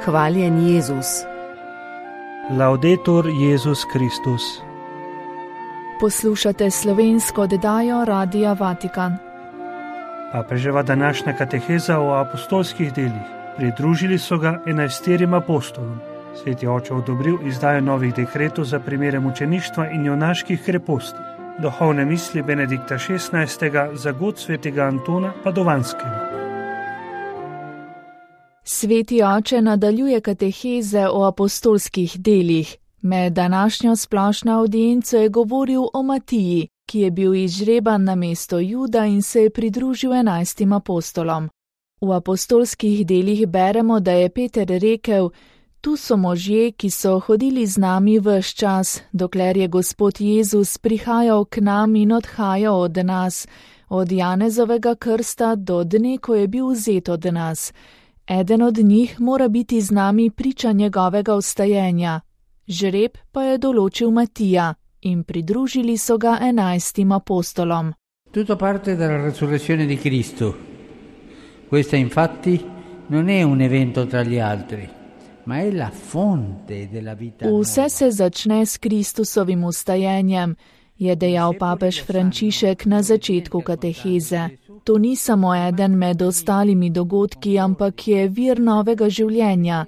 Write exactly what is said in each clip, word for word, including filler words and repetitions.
Hvaljen Jezus. Laudetur Jezus Kristus. Poslušate slovensko oddajo Radia Vatikan. Papeževa današnja kateheza o apostolskih delih. Pridružili so ga enajsterim apostolom. Sveti oče odobril izdajo novih dekretov za primere mučeništva in junaških kreposti. Duhovne misli Benedikta šestnajstega za god svetega Antona Padovanskega. Sveti oče nadaljuje kateheze o apostolskih delih. Med današnjo splošno avdienco je govoril o Matiji, ki je bil izžreban na mesto Juda in se je pridružil enajstim apostolom. V apostolskih delih beremo, da je Peter rekel: Tu so možje, ki so hodili z nami ves čas, dokler je Gospod Jezus prihajal k nam in odhajal od nas, od Janezovega krsta do dne, ko je bil vzet od nas. Eden od njih mora biti z nami priča njegovega vstajenja. Žreb pa je določil Matija in pridružili so ga enajstim apostolom. Tutto parte dalla resurrezione di Cristo. Questa infatti non è un evento tra gli altri, ma è la fonte della vita. Vse se začne s Kristusovim vstajenjem, je dejal papež Frančišek na začetku kateheze. To ni samo eden med ostalimi dogodki, ampak je vir novega življenja.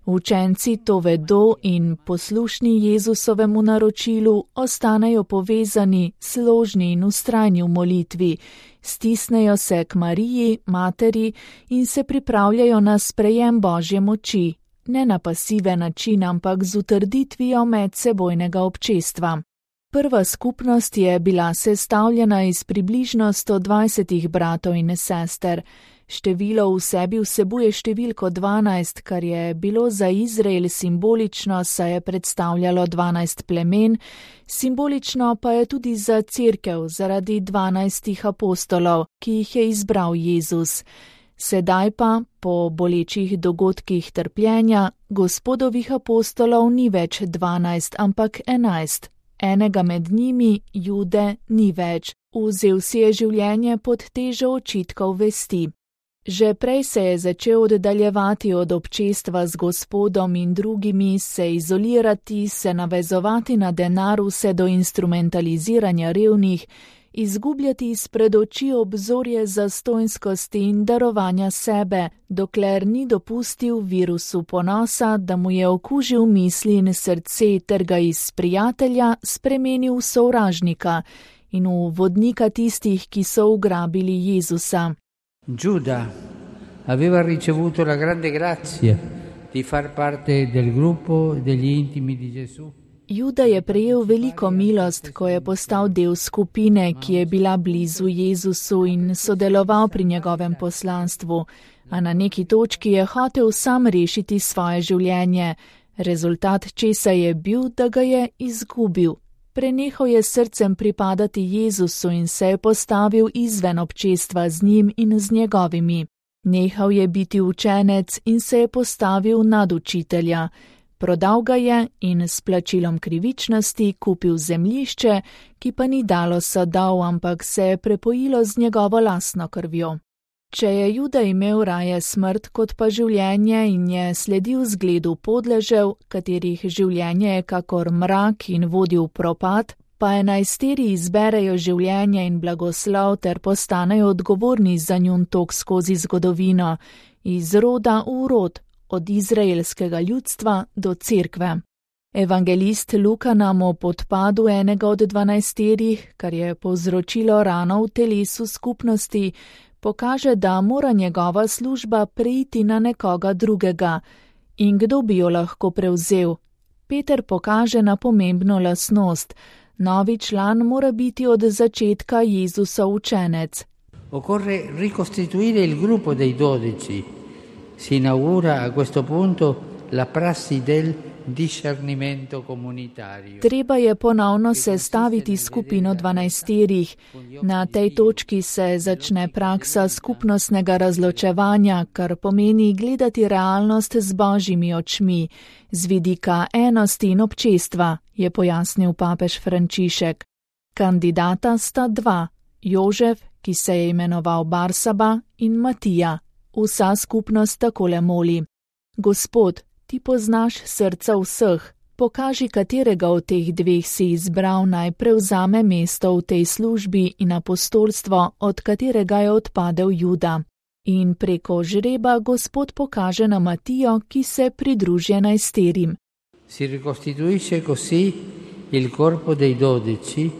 Učenci to vedo in poslušni Jezusovemu naročilu ostanejo povezani, složni in vztrajni v molitvi, stisnejo se k Mariji, materi in se pripravljajo na sprejem Božje moči, ne na pasiven način, ampak z utrditvijo medsebojnega občestva. Prva skupnost je bila sestavljena iz približno sto dvajsetih bratov in sester. Število v sebi vsebuje številko dvanajst, kar je bilo za Izrael simbolično, saj je predstavljalo dvanajst plemen, simbolično pa je tudi za cerkev zaradi dvanajstih apostolov, ki jih je izbral Jezus. Sedaj pa, po bolečih dogodkih trpljenja, Gospodovih apostolov ni več dvanajst, ampak enajst. Enega med njimi, Jude, ni več. Vzel si je življenje pod težo očitkov vesti. Že prej se je začel oddaljevati od občestva z Gospodom in drugimi, se izolirati, se navezovati na denar vse do instrumentaliziranja revnih, izgubljati izpred oči obzorje zastonjskosti in darovanja sebe, dokler ni dopustil virusu ponosa, da mu je okužil misli in srce ter ga iz prijatelja spremenil v sovražnika in v vodnika tistih, ki so ugrabili Jezusa. Giuda aveva ricevuto la grande grazia di far parte del gruppo degli intimi di Gesù. Juda je prejel veliko milost, ko je postal del skupine, ki je bila blizu Jezusu in sodeloval pri njegovem poslanstvu, a na neki točki je hotel sam rešiti svoje življenje. Rezultat česa je bil, da ga je izgubil. Prenehal je srcem pripadati Jezusu in se je postavil izven občestva z njim in z njegovimi. Nehal je biti učenec in se je postavil nad učitelja. Prodal ga je in s plačilom krivičnosti kupil zemljišče, ki pa ni dalo sadov, ampak se je prepojilo z njegovo lastno krvjo. Če je Juda imel raje smrt kot pa življenje in je sledil zgledu podležev, katerih življenje je kakor mrak in vodi v propad, pa enajsteri izberejo življenje in blagoslov ter postanejo odgovorni za njun tok skozi zgodovino, iz roda v rod, od izraelskega ljudstva do cerkve. Evangelist Luka nam o podpadu enega od dvanajsterih, kar je povzročilo rano v telesu skupnosti, pokaže, da mora njegova služba preiti na nekoga drugega. In kdo bi jo lahko prevzel? Peter pokaže na pomembno lastnost. Novi član mora biti od začetka Jezusov učenec. Occorre ricostituire il gruppo dei dodici. Si inaugura a questo punto la prassi del discernimento comunitario. Treba je ponovno sestaviti skupino dvanajsterih. Na tej točki se začne praksa skupnostnega razločevanja, kar pomeni gledati realnost z božjimi očmi, z vidika enosti in občestva, je pojasnil papež Frančišek. Kandidata sta dva, Jožef, ki se je imenoval Barsaba, in Matija. Vsa skupnost takole moli: Gospod, ti poznaš srca vseh, pokaži, katerega od teh dveh si izbral naj prevzame mesto v tej službi in apostolstvo, od katerega je odpadel Juda. In preko žreba Gospod pokaže na Matijo, ki se pridruži enajsterim. Si ricostituisce così il corpo dei dodici,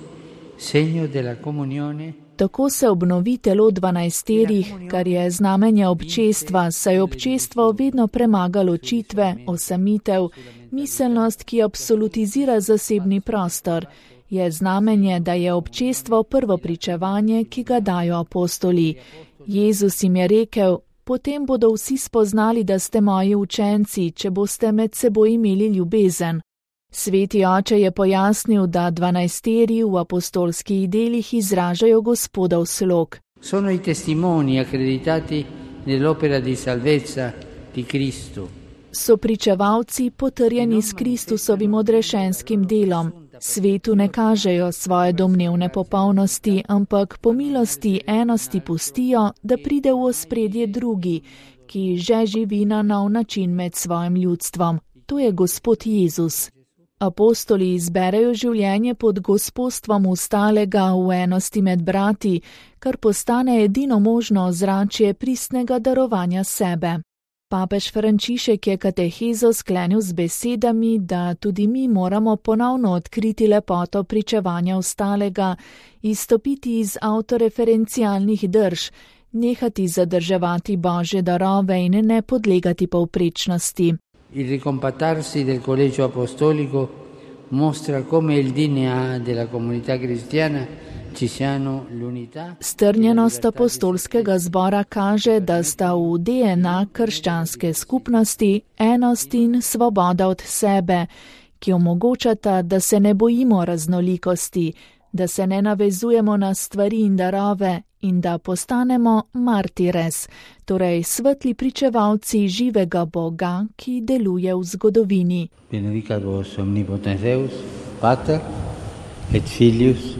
segno della comunione. Tako se obnovi telo dvanajsterih, kar je znamenje občestva, saj občestvo vedno premaga ločitve, osamitev, miselnost, ki absolutizira zasebni prostor. Je znamenje, da je občestvo prvo pričevanje, ki ga dajo apostoli. Jezus jim je rekel, potem bodo vsi spoznali, da ste moji učenci, če boste med seboj imeli ljubezen. Sveti oče je pojasnil, da dvanajsteri v apostolskih delih izražajo Gospodov slog. Sono i testimoni accreditati nell'opera di salvezza di Cristo. So pričevalci potrjeni s Kristusovim odrešenskim delom. Svetu ne kažejo svoje domnevne popolnosti, ampak po milosti enosti pustijo, da pride v ospredje drugi, ki že živi na nov način med svojim ljudstvom. To je Gospod Jezus. Apostoli izberejo življenje pod gospostvom ostalega v enosti med brati, kar postane edino možno ozračje pristnega darovanja sebe. Papež Frančišek je katehezo sklenil z besedami, da tudi mi moramo ponovno odkriti lepoto pričevanja ostalega, izstopiti iz avtoreferencialnih drž, nehati zadrževati Božje darove in ne podlegati povprečnosti. Il ricompattarsi del collegio apostolico mostra come il D N A della comunità cristiana ci siano l'unità. Strnjenost apostolskega zbora kaže, da sta v D N A krščanske skupnosti enost in svoboda od sebe, ki omogočata, da se ne bojimo raznolikosti, da se ne navezujemo na stvari in darove in da postanemo martires, torej svetli pričevalci živega Boga, ki deluje v zgodovini. Benedicat vos omnipotens Deus, Pater et Filius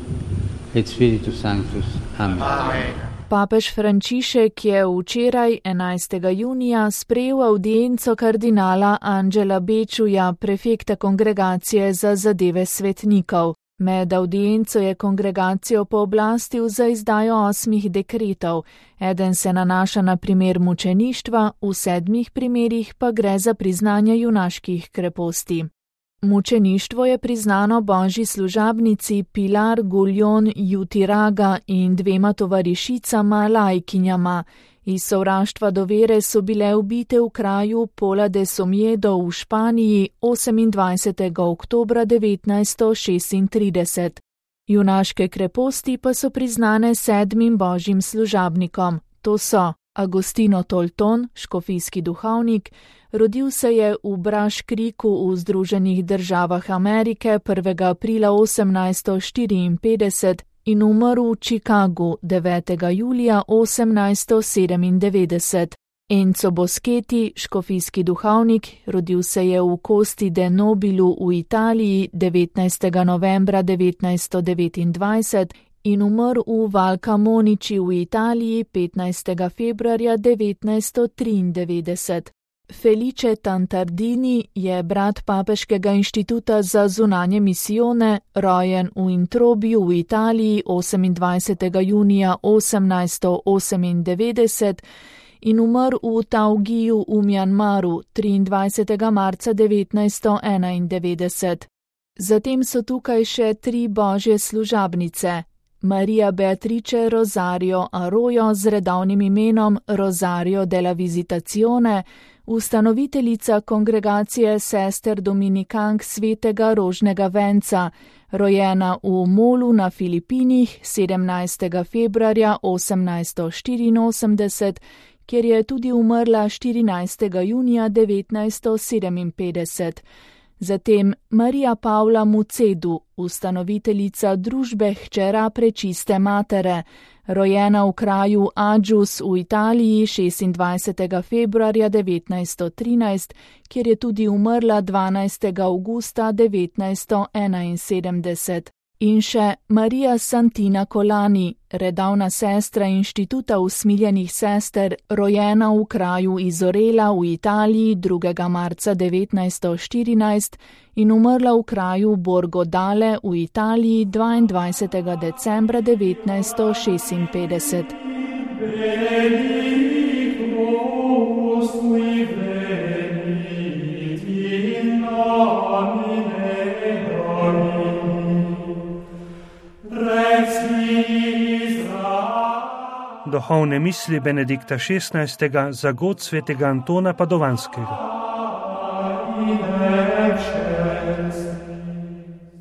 et Spiritus Sanctus. Amen. Amen. Papež Frančišek je včeraj, enajstega junija, sprejel avdienco kardinala Angela Bečuja, prefekta kongregacije za zadeve svetnikov. Med avdienco je kongregacijo pooblastil za izdajo osmih dekretov. Eden se nanaša na primer mučeništva, v sedmih primerih pa gre za priznanje junaških kreposti. Mučeništvo je priznano božji služabnici Pilar Guljon Jutiraga in dvema tovarišicama lajkinjama. Iz sovraštva do vere so bile ubite v kraju Pola de Somjedo v Španiji osemindvajsetega oktobra devetnajststo šestintrideset. Junaške kreposti pa so priznane sedmim božjim služabnikom. To so Agostino Tolton, škofijski duhovnik, rodil se je v Braškriku v Združenih državah Amerike prvega aprila osemnajststo štiriinpetdeset in umrl v Chicagu devetega julija osemnajststo sedemindevetdeset. Enzo Boschetti, škofijski duhovnik, rodil se je v Costi de Nobilu v Italiji devetnajstega novembra devetnajststo devetindvajset in umrl v Valcamonnici v Italiji petnajstega februarja devetnajststo triindevetdeset. Felice Tantardini je brat Papeškega inštituta za zunanje misijone, rojen v Introbiju v Italiji osemindvajsetega junija osemnajststo osemindevetdeset in umrl v Taugiju v Mjanmaru triindvajsetega marca devetnajststo enaindevetdeset. Zatem so tukaj še tri božje služabnice. Maria Beatrice Rosario Arroyo z redovnim imenom Rosario della Visitazione, ustanoviteljica kongregacije sester dominikank svetega Rožnega venca, rojena v Molu na Filipinih sedemnajstega februarja osemnajststo štiriinosemdeset, kjer je tudi umrla štirinajstega junija devetnajststo sedeminpetdeset. Zatem Marija Pavla Mucedu, ustanoviteljica družbe Hčera Prečiste Matere, rojena v kraju Adžus v Italiji šestindvajsetega februarja devetnajststo trinajst, kjer je tudi umrla dvanajstega avgusta devetnajststo enainsedemdeset. In še Marija Santina Colani, redavna sestra Inštituta usmiljenih sester, rojena v kraju Izorela v Italiji drugega marca devetnajststo štirinajst in umrla v kraju Borgo Dale v Italiji dvaindvajsetega decembra devetnajststo šestinpetdeset. Duhovne misli Benedikta šestnajstega za god svetega Antona Padovanskega.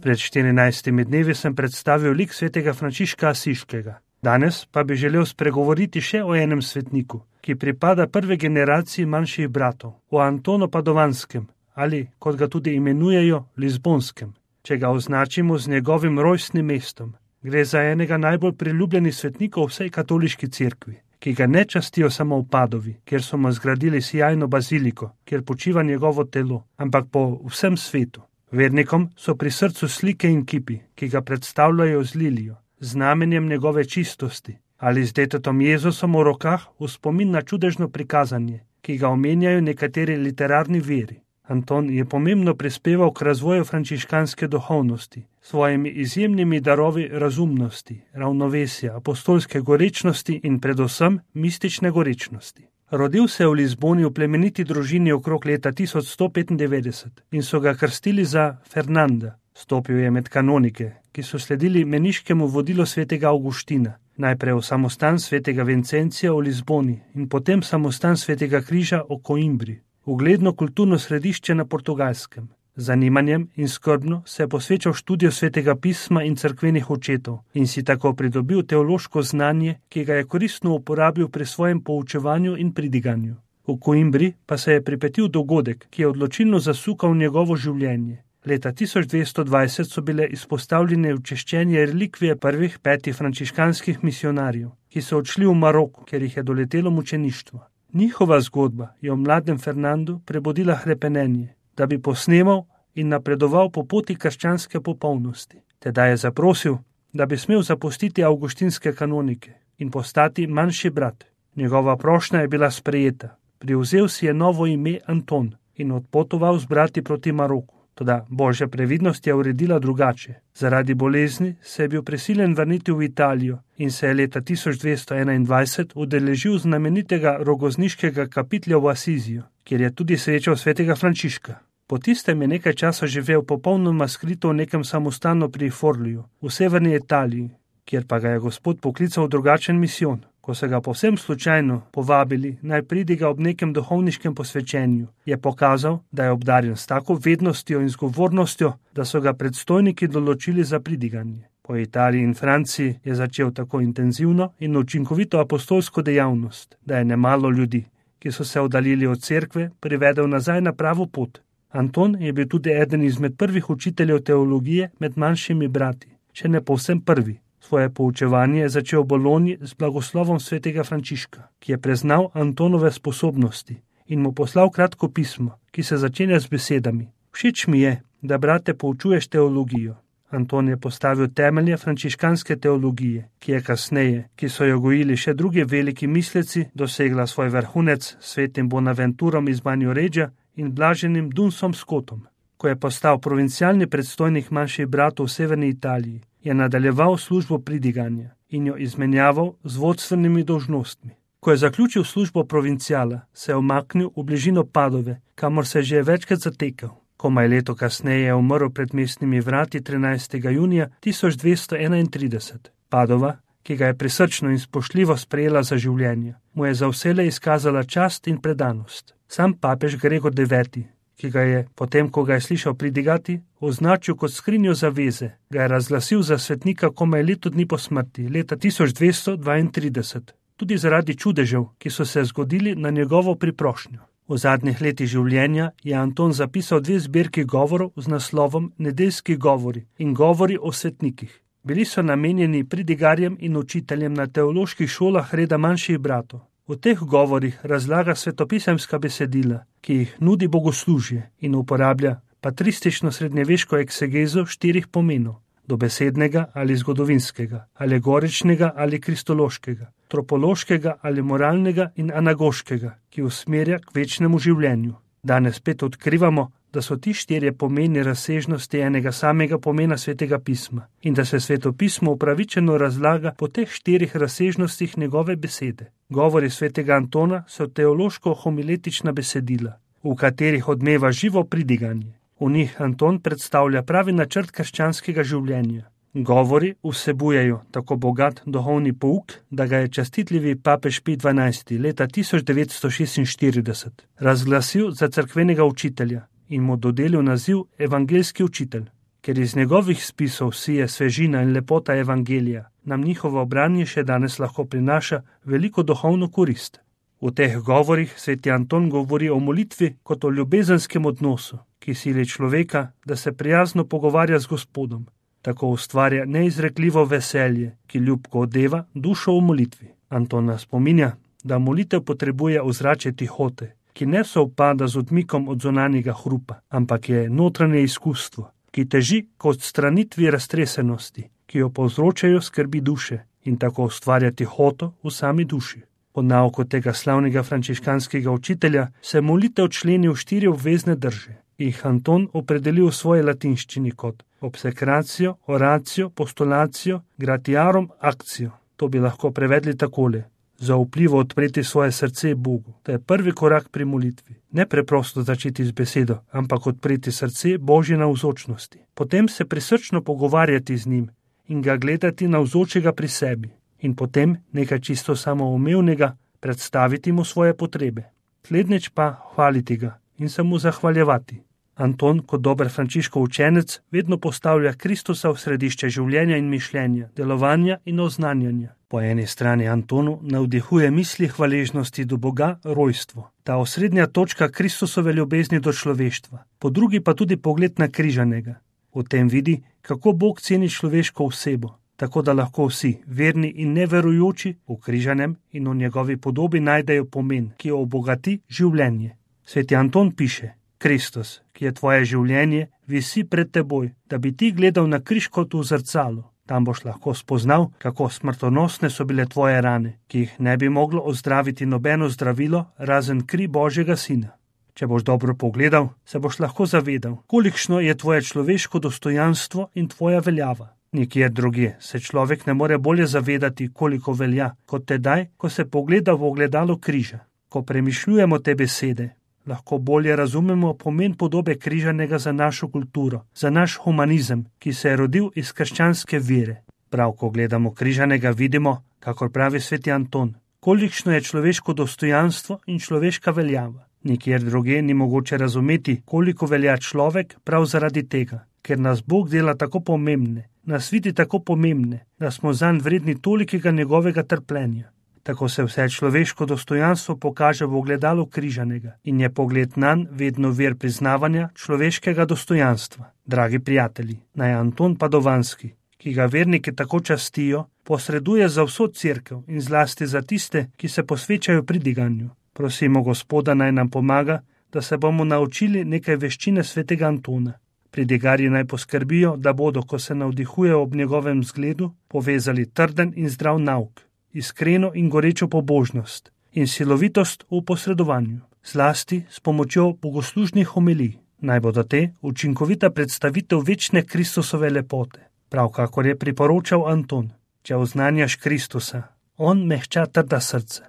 Pred štirinajstimi dnevi sem predstavil lik svetega Frančiška Asiškega. Danes pa bi želel spregovoriti še o enem svetniku, ki pripada prve generaciji manjših bratov, o Antonu Padovanskem, ali, kot ga tudi imenujejo, Lizbonskem, če ga označimo z njegovim rojstnim mestom. Gre za enega najbolj priljubljenih svetnikov vsej katoliški cerkvi, ki ga ne častijo samo v Padovi, kjer so mu zgradili sijajno baziliko, kjer počiva njegovo telo, ampak po vsem svetu. Vernikom so pri srcu slike in kipi, ki ga predstavljajo z lilijo, znamenjem njegove čistosti, ali z detetom Jezusom v rokah v spomin na čudežno prikazanje, ki ga omenjajo nekateri literarni veri. Anton je pomembno prispeval k razvoju frančiškanske duhovnosti, svojimi izjemnimi darovi razumnosti, ravnovesja, apostolske gorečnosti in predvsem mistične gorečnosti. Rodil se je v Lizboni v plemeniti družini okrog leta tisoč sto petindevetdeset in so ga krstili za Fernanda. Stopil je med kanonike, ki so sledili meniškemu vodilu svetega Avguština, najprej v samostan svetega Vincencija v Lizboni in potem samostan svetega Križa v Coimbri, ugledno kulturno središče na Portugalskem. Z zanimanjem in skrbno se je posvečal študiju svetega pisma in cerkvenih očetov in si tako pridobil teološko znanje, ki ga je koristno uporabil pri svojem poučevanju in pridiganju. V Coimbri pa se je pripetil dogodek, ki je odločilno zasukal njegovo življenje. Leta tisoč dvesto dvajset so bile izpostavljene včeščenje relikvije prvih petih frančiškanskih misionarjev, ki so odšli v Maroko, ker jih je doletelo mučeništvo. Njihova zgodba je v mladem Fernandu prebudila hrepenenje, da bi posnemal in napredoval po poti krščanske popolnosti. Teda je zaprosil, da bi smel zapustiti avguštinske kanonike in postati manjši brat. Njegova prošnja je bila sprejeta. Privzel si je novo ime Anton in odpotoval z brati proti Maroku. Toda božja previdnost je uredila drugače. Zaradi bolezni se je bil prisiljen vrniti v Italijo in se je leta tisoč dvesto enaindvajset udeležil znamenitega rogozniškega kapitlja v Asiziju, kjer je tudi srečal svetega Frančiška. Po tistem je nekaj časa živel popolnoma skrito v nekem samostanu pri Forliju, v severni Italiji, kjer pa ga je Gospod poklical v drugačen misijon. Ko so ga povsem slučajno povabili, naj pridiga ob nekem duhovniškem posvečenju, je pokazal, da je obdarjen s tako vednostjo in zgovornostjo, da so ga predstojniki določili za pridiganje. Po Italiji in Franciji je začel tako intenzivno in učinkovito apostolsko dejavnost, da je nemalo ljudi, ki so se oddaljili od cerkve, privedel nazaj na pravo pot. Anton je bil tudi eden izmed prvih učiteljev teologije med manjšimi brati, če ne povsem prvi. Svoje poučevanje je začel v Bologni z blagoslovom svetega Frančiška, ki je preznal Antonove sposobnosti in mu poslal kratko pismo, ki se začenja z besedami: Všeč mi je, da brate poučuješ teologijo. Anton je postavil temelje frančiškanske teologije, ki je kasneje, ki so jo gojili še drugi veliki misleci, dosegla svoj vrhunec s svetim Bonaventurom iz Banjoreggia in blaženim Dunsom Scottom. Ko je postal provincialni predstojnik manjših bratov v severni Italiji, je nadaljeval službo pridiganja in jo izmenjaval z vodstvenimi dolžnostmi. Ko je zaključil službo provinciala, se je umaknil v bližino Padove, kamor se je že večkrat zatekal. Komaj leto kasneje je umrl pred mestnimi vrati trinajstega junija tisoč dvesto enaintrideset. Padova, ki ga je prisrčno in spoštljivo sprejela za življenje, mu je za vselej izkazala čast in predanost. Sam papež Gregor deveti, ki ga je, potem ko ga je slišal pridigati, označil kot skrinjo zaveze, ga je razglasil za svetnika komaj leto dni po smrti, leta tisoč dvesto dvaintrideset, tudi zaradi čudežev, ki so se zgodili na njegovo priprošnjo. V zadnjih letih življenja je Anton zapisal dve zbirki govorov z naslovom Nedeljski govori in govori o svetnikih. Bili so namenjeni pridigarjem in učiteljem na teoloških šolah reda manjših bratov. V teh govorih razlaga svetopisemska besedila, ki jih nudi bogoslužje in uporablja patristično srednjeveško eksegezo štirih pomenov: dobesednega ali zgodovinskega, alegoričnega ali kristološkega, tropološkega ali moralnega in anagoškega, ki usmerja k večnemu življenju. Danes spet odkrivamo, da so ti štirje pomeni razsežnosti enega samega pomena Svetega pisma in da se Sveto pismo upravičeno razlaga po teh štirih razsežnostih njegove besede. Govori Svetega Antona so teološko-homiletična besedila, v katerih odmeva živo pridiganje. V njih Anton predstavlja pravi načrt krščanskega življenja. Govori vsebujejo tako bogat duhovni pouk, da ga je častitljivi papež Pij dvanajsti leta tisoč devetsto šestinštirideset razglasil za cerkvenega učitelja in mu dodelil naziv evangeljski učitelj. Ker iz njegovih spisov sije svežina in lepota evangelija, nam njihovo branje še danes lahko prinaša veliko duhovno korist. V teh govorih sveti Anton govori o molitvi kot o ljubezenskem odnosu, ki sili človeka, da se prijazno pogovarja z Gospodom. Tako ustvarja neizrekljivo veselje, ki ljubko odeva dušo v molitvi. Anton nas spominja, da molitev potrebuje ozračje tihote, ki ne sovpada z odmikom od zunanjega hrupa, ampak je notranje izkustvo, ki teži k odstranitvi raztresenosti, ki jo povzročajo skrbi duše in tako ustvarja tihoto v sami duši. Po nauku tega slavnega frančiškanskega učitelja se molitev členi v štiri obvezne drže. Jih Anton opredelil v svoji latinščini kot obsekracijo, oracijo, postulacijo, gratiarum, akcijo. To bi lahko prevedli takole: zaupljivo odpreti svoje srce Bogu. To je prvi korak pri molitvi. Ne preprosto začeti z besedo, ampak odpreti srce Božje navzočnosti. Potem se prisrčno pogovarjati z njim in ga gledati navzočega pri sebi. In potem nekaj čisto samoumevnega predstaviti mu svoje potrebe. Slednjič pa hvaliti ga in se mu zahvaljevati. Anton, kot dober Frančiškov učenec, vedno postavlja Kristusa v središče življenja in mišljenja, delovanja in oznanjanja. Po eni strani Antonu navdihuje misli hvaležnosti do Boga rojstvo, ta osrednja točka Kristusove ljubezni do človeštva, po drugi pa tudi pogled na križanega. V tem vidi, kako Bog ceni človeško osebo, tako da lahko vsi, verni in neverujoči, v križanem in v njegovi podobi najdejo pomen, ki jo obogati življenje. Sveti Anton piše: Kristus, ki je tvoje življenje, visi pred teboj, da bi ti gledal na križ kot v zrcalo. Tam boš lahko spoznal, kako smrtonosne so bile tvoje rane, ki jih ne bi moglo ozdraviti nobeno zdravilo, razen kri Božjega Sina. Če boš dobro pogledal, se boš lahko zavedal, kolikšno je tvoje človeško dostojanstvo in tvoja veljava. Nikjer drugje se človek ne more bolje zavedati, koliko velja, kot tedaj, ko se pogleda v ogledalo križa. Ko premišljujemo te besede, lahko bolje razumemo pomen podobe križanega za našo kulturo, za naš humanizem, ki se je rodil iz krščanske vere. Prav, ko gledamo križanega, vidimo, kakor pravi sveti Anton, kolikšno je človeško dostojanstvo in človeška veljava. Nikjer drugje ni mogoče razumeti, koliko velja človek prav zaradi tega, ker nas Bog dela tako pomembne, nas vidi tako pomembne, da smo zanj vredni tolikega njegovega trpljenja. Tako se vse človeško dostojanstvo pokaže v ogledalu križanega in je pogled nanj vedno vir priznavanja človeškega dostojanstva. Dragi prijatelji, naj Anton Padovanski, ki ga verniki tako častijo, posreduje za vso cerkev in zlasti za tiste, ki se posvečajo pridiganju. Prosimo Gospoda, naj nam pomaga, da se bomo naučili nekaj veščine svetega Antona. Pridigarji naj poskrbijo, da bodo, ko se navdihujejo ob njegovem zgledu, povezali trden in zdrav nauk, iskreno in gorečo pobožnost in silovitost v posredovanju, zlasti s pomočjo bogoslužnih homilij. Naj bodo te učinkovita predstavitev večne Kristusove lepote. Prav kakor je priporočal Anton, če oznanjaš Kristusa, on mehča trda srce.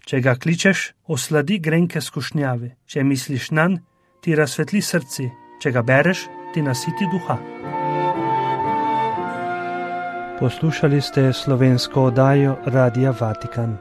Če ga kličeš, osladi grenke skušnjave. Če misliš nanj, ti razsvetli srce. Če ga bereš, ti nasiti duha. Poslušali ste slovensko oddajo Radia Vatikan.